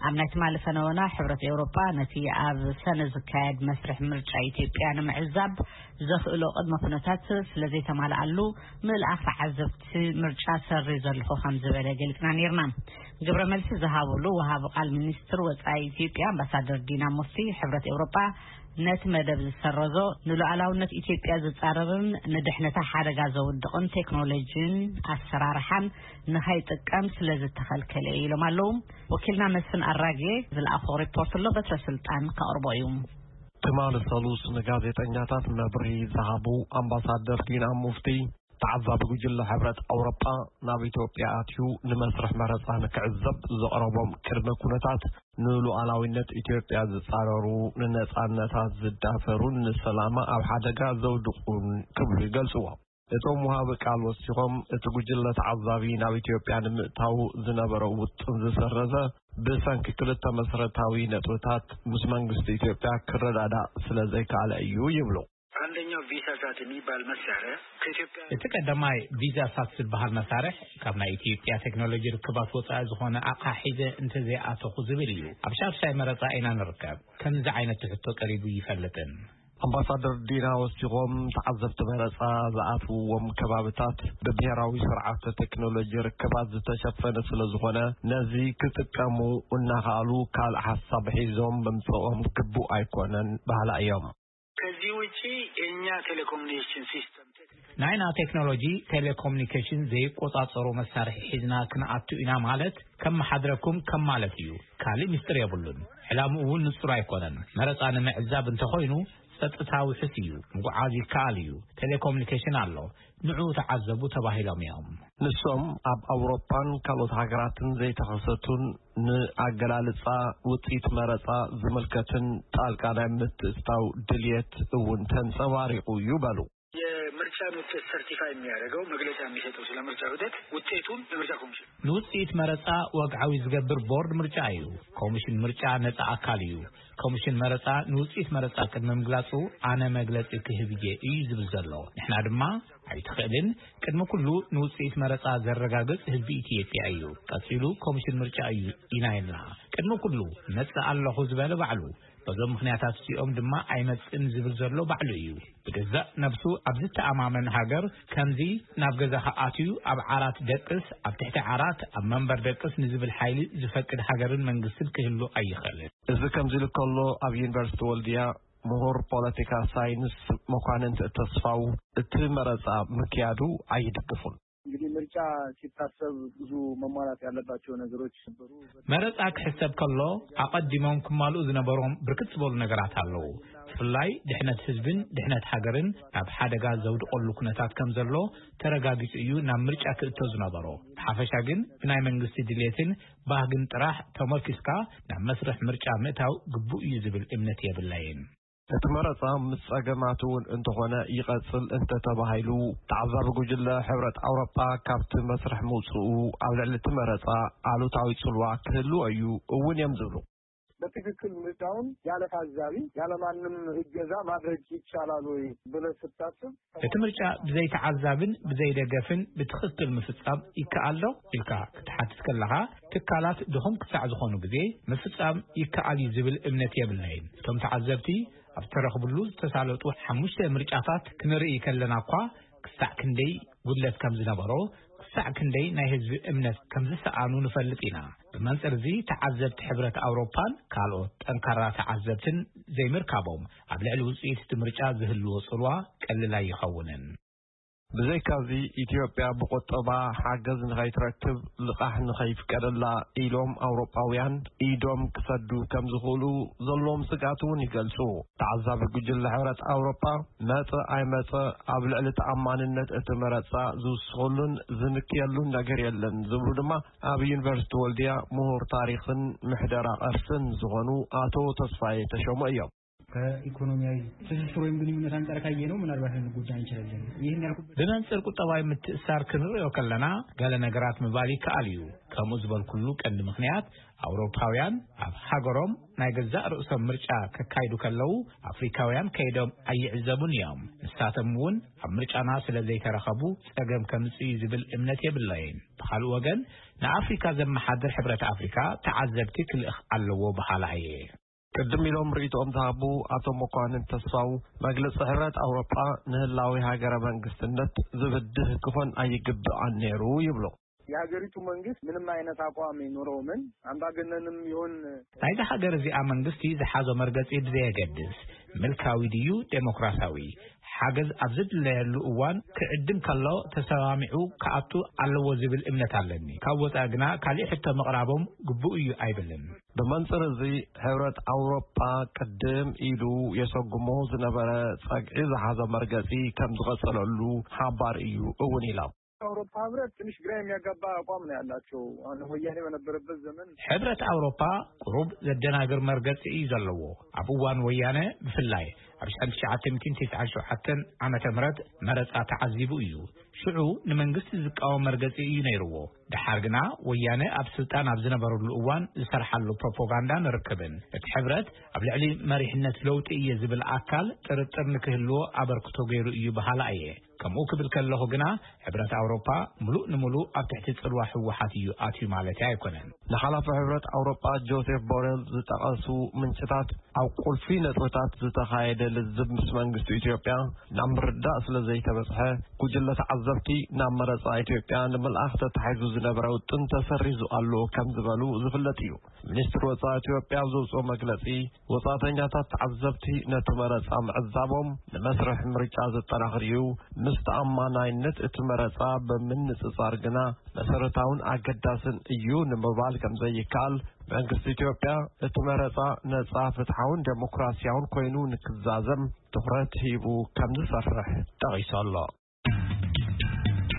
ኣብ ናይ ትማሊ ፈነወና፣ ሕብረት ኤውሮጳ ነቲ ኣብ ሰነ ዝካየድ መስርሕ ምርጫ ኢትዮጵያ ንምዕዛብ ዘኽእሎ ቅድመ ኩነታት ስለ ዘይተማልኣሉ፣ ምልኣኽ ተዓዘብቲ ምርጫ ሰሪ ዘለኹ ከም ዝበለ ገሊጽና ነይርና። ግብረ መልሲ ዝሃብሉ ወሃቢ ቃል ሚኒስትር ወጻኢ ኢትዮጵያ ኣምባሳደር ዲና ሙፍቲ፣ ሕብረት ኤውሮጳ ነቲ መደብ ዝሰረዞ ንሉዓላውነት ኢትዮጵያ ዝጻረርን ንድሕነታ ሓደጋ ዘውድቕን ቴክኖሎጂን ኣሰራርሓን ንኸይጥቀም ስለ ዝተኸልከለ እዩ ኢሎም ኣለዉ። ወኪልና መስፍን ኣራጌ ዝለኣኾ ሪፖርት ኣሎ፣ በትረ ስልጣን ከቕርቦ እዩ። ትማሊ ሰሉስ ንጋዜጠኛታት መብርሂ ዝሃቡ ኣምባሳደር ዲና ሙፍቲ፣ ተዓዛቢ ጉጅለ ሕብረት ኣውሮጳ ናብ ኢትዮጵያ ኣትዩ ንመስርሕ መረጻ ንክዕዘብ ዘቕረቦም ቅድመ ኩነታት ንሉዓላዊነት ኢትዮጵያ ዝጻረሩ፣ ንነጻነታት ዝዳፈሩን ንሰላማ ኣብ ሓደጋ ዘውድቑን ክብሉ ይገልጽዎ። እቶም ወሃቢ ቃል ወሲኾም፣ እቲ ጉጅለ ተዓዛቢ ናብ ኢትዮጵያ ንምእታው ዝነበረ ውጥን ዝሰረዘ ብሰንኪ ክልተ መሰረታዊ ነጥብታት ምስ መንግስቲ ኢትዮጵያ ክረዳዳእ ስለ ዘይከኣለ እዩ ይብሉ። አንደኛው ቪሳ ሳት የሚባል መሳሪያ ከኢትዮጵያ እቲ ቀዳማይ ቪዛ ሳት ዝበሃል መሳርሕ ካብ ናይ ኢትዮጵያ ቴክኖሎጂ ርክባት ወፃኢ ዝኾነ ኣቕሓ ሒዘ እንተዘይኣተኹ ዝብል እዩ። ኣብ ሻድሻይ መረፃ ኢና ንርከብ። ከምዚ ዓይነት ሕቶ ቀሪቡ ይፈልጥን። ኣምባሳደር ዲና ወሲኾም፣ ተዓዘብቲ መረፃ ዝኣትውዎም ከባብታት ብብሄራዊ ስርዓተ ቴክኖሎጂ ርክባት ዝተሸፈነ ስለ ዝኾነ፣ ነዚ ክጥቀሙ እናኸኣሉ ካልእ ሓሳብ ሒዞም ምምፅኦም ግቡእ ኣይኮነን በሃላ እዮም። ከዚህ ውጪ የእኛ ቴሌኮሙኒኬሽን ሲስተም ናይና ቴክኖሎጂ ቴሌኮሙኒኬሽን ዘይቆጻጸሩ መሳርሒ ሒዝና ክንኣቱ ኢና ማለት፣ ከመሓድረኩም ከም ማለት እዩ። ካልእ ምስጢር የብሉን። ዕላምኡ እውን ንጹር ኣይኮነን። መረጻ ንምዕዛብ እንተኾይኑ፣ ጸጥታ ውሑስ እዩ። ምጉዓዝ ይከኣል እዩ። ቴሌኮሙኒኬሽን ኣሎ። ንዑ ተዓዘቡ ተባሂሎም እዮም። ንሶም ኣብ ኣውሮፓን ካልኦት ሃገራትን ዘይተኸሰቱን፣ ንኣገላልጻ ውጽኢት መረጻ ዝምልከትን ጣልቃ ናይ ምትእትታው ድልየት እውን ተንጸባሪቑ እዩ በሉ። የምርጫን ውጤት ሰርቲፋይ የሚያደርገው፣ መግለጫ የሚሰጠው ስለ ምርጫ ሂደት ውጤቱን የምርጫ ኮሚሽን። ንውጽኢት መረጻ ወግዓዊ ዝገብር ቦርድ ምርጫ እዩ። ኮሚሽን ምርጫ ነጻ ኣካል እዩ። ኮሚሽን መረጻ ንውጽኢት መረጻ ቅድሚ ምግላጹ ኣነ መግለጺ ክህብ እየ እዩ ዝብል ዘሎ። ንሕና ድማ ኣይትኽእልን፣ ቅድሚ ኩሉ ንውጽኢት መረጻ ዘረጋግጽ ህዝቢ ኢትዮጵያ እዩ። ቀጺሉ ኮሚሽን ምርጫ እዩ ኢና ኢልና። ቅድሚ ኩሉ መጽእ ኣለኹ ዝበለ ባዕሉ፣ በዞም ምኽንያታት እዚኦም ድማ ኣይመጽእን ዝብል ዘሎ ባዕሉ እዩ። ብገዛእ ነብሱ ኣብ ዝተኣማመን ሃገር ከምዚ ናብ ገዛኻ ኣትዩ ኣብ ዓራት ደቅስ፣ ኣብ ትሕቲ ዓራት ኣብ መንበር ደቅስ ንዝብል ሓይሊ ዝፈቅድ ሃገርን መንግስትን ክህሉ ኣይኽእልን። እዚ ከምዚ ኢሉ ከሎ፣ ኣብ ዩኒቨርሲቲ ወልድያ ምሁር ፖለቲካ ሳይንስ መኳንንት ተስፋው እቲ መረጻ ምክያዱ ኣይድግፉን። እንግዲህ ምርጫ ሲታሰብ ብዙ መሟላት ያለባቸው ነገሮች ነበሩ። መረጻ ክሕሰብ ከሎ ኣቐዲሞም ክማልኡ ዝነበሮም ብርክት ዝበሉ ነገራት ኣለዉ። ብፍላይ ድሕነት ህዝብን ድሕነት ሃገርን ናብ ሓደጋ ዘውድቐሉ ኩነታት ከም ዘሎ ተረጋጊጹ እዩ ናብ ምርጫ ክእቶ ዝነበሮ። ብሓፈሻ ግን ብናይ መንግስቲ ድሌትን ባህግን ጥራሕ ተመርኪስካ ናብ መስርሕ ምርጫ ምእታው ግቡእ እዩ ዝብል እምነት የብለይን። እቲ መረጻ ምስ ጸገማቱ እውን እንተኾነ ይቐጽል እንተተባሂሉ፣ ተዓዛቢ ጉጅለ ሕብረት ኣውሮጳ ካብቲ መስርሕ ምውጽኡ ኣብ ልዕሊ እቲ መረጻ ኣሉታዊ ጽልዋ ክህልዎ እዩ እውን እዮም ዝብሉ። በትክክል ምርጫውን ያለ ታዛቢ፣ ያለ ማንም እገዛ ማድረግ ይቻላል ወይ ብለህ ስታስብ፣ እቲ ምርጫ ብዘይ ተዓዛብን ብዘይ ደገፍን ብትኽክል ምፍጻም ይከኣል ዶ ኢልካ ክትሓትት ከለኻ፣ ትካላት ድኹም ክሳዕ ዝኾኑ ግዜ ምፍጻም ይከኣል እዩ ዝብል እምነት የብለይን። እቶም ተዓዘብቲ ኣብ ዝተረኽብሉ ዝተሳለጡ ሓሙሽተ ምርጫታት ክንርኢ ከለና እኳ፣ ክሳዕ ክንደይ ጉድለት ከም ዝነበሮ፣ ክሳዕ ክንደይ ናይ ህዝቢ እምነት ከም ዝሰኣኑ ንፈልጥ ኢና። ብመንጽር እዚ፣ ተዓዘብቲ ሕብረት ኣውሮፓን ካልኦት ጠንካራ ተዓዘብትን ዘይምርካቦም፣ ኣብ ልዕሊ ውጽኢት እቲ ምርጫ ዝህልዎ ጽልዋ ቀሊል ኣይኸውንን። ብዘይካዚ፣ ኢትዮጵያ ብቁጠባ ሓገዝ ንኸይትረክብ፣ ልቓሕ ንኸይፍቀደላ ኢሎም ኣውሮጳውያን ኢዶም ክሰዱ ከም ዝኽእሉ ዘለዎም ስግኣት እውን ይገልጹ። ተዓዛቢ ጉጅለ ሕብረት ኣውሮጳ፣ መጸ ኣይመጸ ኣብ ልዕሊ ተኣማንነት እቲ መረጻ ዝውስኸሉን ዝንክየሉን ነገር የለን ዝብሉ ድማ፣ ኣብ ዩኒቨርሲቲ ወልድያ ምሁር ታሪኽን ምሕደራ ቅርስን ዝኾኑ ኣቶ ተስፋዬ ተሾመ እዮም። ከኢኮኖሚያዊ ትስስር ወይም ግንኙነት አንጻር ካየነው ምናልባት ልንጎዳ እንችላለን። ይህን ያልኩበት ብመንጽር ቁጠባዊ ምትእሳር ክንርእዮ ከለና፣ ገለ ነገራት ምባል ይከኣል እዩ። ከምኡ ዝበልኩሉ ቀንዲ ምኽንያት፣ ኣውሮፓውያን ኣብ ሃገሮም ናይ ገዛእ ርእሶም ምርጫ ከካይዱ ከለዉ፣ ኣፍሪካውያን ከይዶም ኣይዕዘቡን እዮም። ንሳቶም እውን ኣብ ምርጫና ስለ ዘይተረኸቡ፣ ጸገም ከምጽእ እዩ ዝብል እምነት የብለይን። ብኻልእ ወገን፣ ንኣፍሪካ ዘመሓድር ሕብረት ኣፍሪካ ተዓዘብቲ ክልእኽ ኣለዎ በሃላ እየ። ቅድም ኢሎም ርእይቶኦም ዝሃቡ ኣቶ መኳንን ተስፋው፣ መግለጺ ሕብረት ኣውሮጳ ንህላዊ ሃገረ መንግስትነት ዝብድህ ክኾን ኣይግብኣን ነይሩ ይብሉ። የሀገሪቱ መንግስት ምንም አይነት አቋም ይኑረው ምን፣ አምባገነንም ይሁን ናይዚ ሃገር እዚኣ መንግስቲ ዝሓዞ መርገጺ ብዘየገድስ፣ ምልካዊ ድዩ ዴሞክራሲያዊ፣ ሓገዝ ኣብ ዝድለየሉ እዋን ክዕድም ከሎ ተሰማሚዑ ክኣቱ ኣለዎ ዝብል እምነት ኣለኒ። ካብ ወጻኢ ግና ካሊእ ሕቶ ምቕራቦም ግቡእ እዩ ኣይብልን። ብመንጽር እዚ፣ ሕብረት ኣውሮጳ ቅድም ኢሉ የሰጉሞ ዝነበረ ጸግዒ ዝሓዘ መርገጺ ከም ዝቐጸለሉ ሓባር እዩ እውን ኢሎም። የአውሮፓ ህብረት ትንሽ ግራ የሚያጋባ አቋም ነው ያላቸው። አሁን ወያኔ በነበረበት ዘመን ሕብረት ኣውሮፓ ቁሩብ ዘደናግር መርገጺ እዩ ዘለዎ። ኣብ እዋን ወያነ ብፍላይ ኣብ ሽሕን ትሽዓተ ሚእትን ትስዓን ሸውዓተን ዓመተ ምህረት መረጻ ተዓዚቡ እዩ። ሽዑ ንመንግስቲ ዝቃወም መርገጺ እዩ ነይርዎ። ደሓር ግና ወያነ ኣብ ስልጣን ኣብ ዝነበረሉ እዋን ዝሰርሓሉ ፕሮፓጋንዳ ንርክብን። እቲ ሕብረት ኣብ ልዕሊ መሪሕነት ለውጢ እየ ዝብል ኣካል ጥርጥር ንክህልዎ ኣበርክቶ ገይሩ እዩ በሃላ እየ። ከምኡ ክብል ከለኹ ግና፣ ሕብረት ኣውሮፓ ምሉእ ንምሉእ ኣብ ትሕቲ ጽልዋ ህወሓት እዩ ኣትዩ ማለት'የ ኣይኮነን። ንሓላፊ ሕብረት ኣውሮጳ ጆሴፍ ቦሬል ዝጠቐሱ ምንጭታት፣ ኣብ ቁልፊ ነጥብታት ዝተኻየደ ልዝብ ምስ መንግስቲ ኢትዮጵያ ናብ ምርዳእ ስለ ዘይተበጽሐ፣ ጉጅለ ተዓዘብቲ ናብ መረጻ ኢትዮጵያ ንምልኣኽ ተታሒዙ ዝነበረ ውጥን ተሰሪዙ ኣሎ ከም ዝበሉ ዝፍለጥ እዩ። ሚኒስትሪ ወጻኢ ኢትዮጵያ ኣብ ዘውጽኦ መግለጺ፣ ወጻእተኛታት ተዓዘብቲ ነቲ መረጻ ምዕዛቦም ንመስርሕ ምርጫ ዘጠናኽር እዩ፣ ምስ ተኣማናይነት እቲ መረጻ ብምንጽጻር ግና መሰረታውን ኣገዳስን እዩ ንምባል ከም ዘይከኣል፣ መንግስቲ ኢትዮጵያ እቲ መረጻ ነጻ፣ ፍትሓውን ዴሞክራሲያውን ኮይኑ ንክዛዘም ትኹረት ሂቡ ከም ዝሰርሕ ጠቒሱ ኣሎ።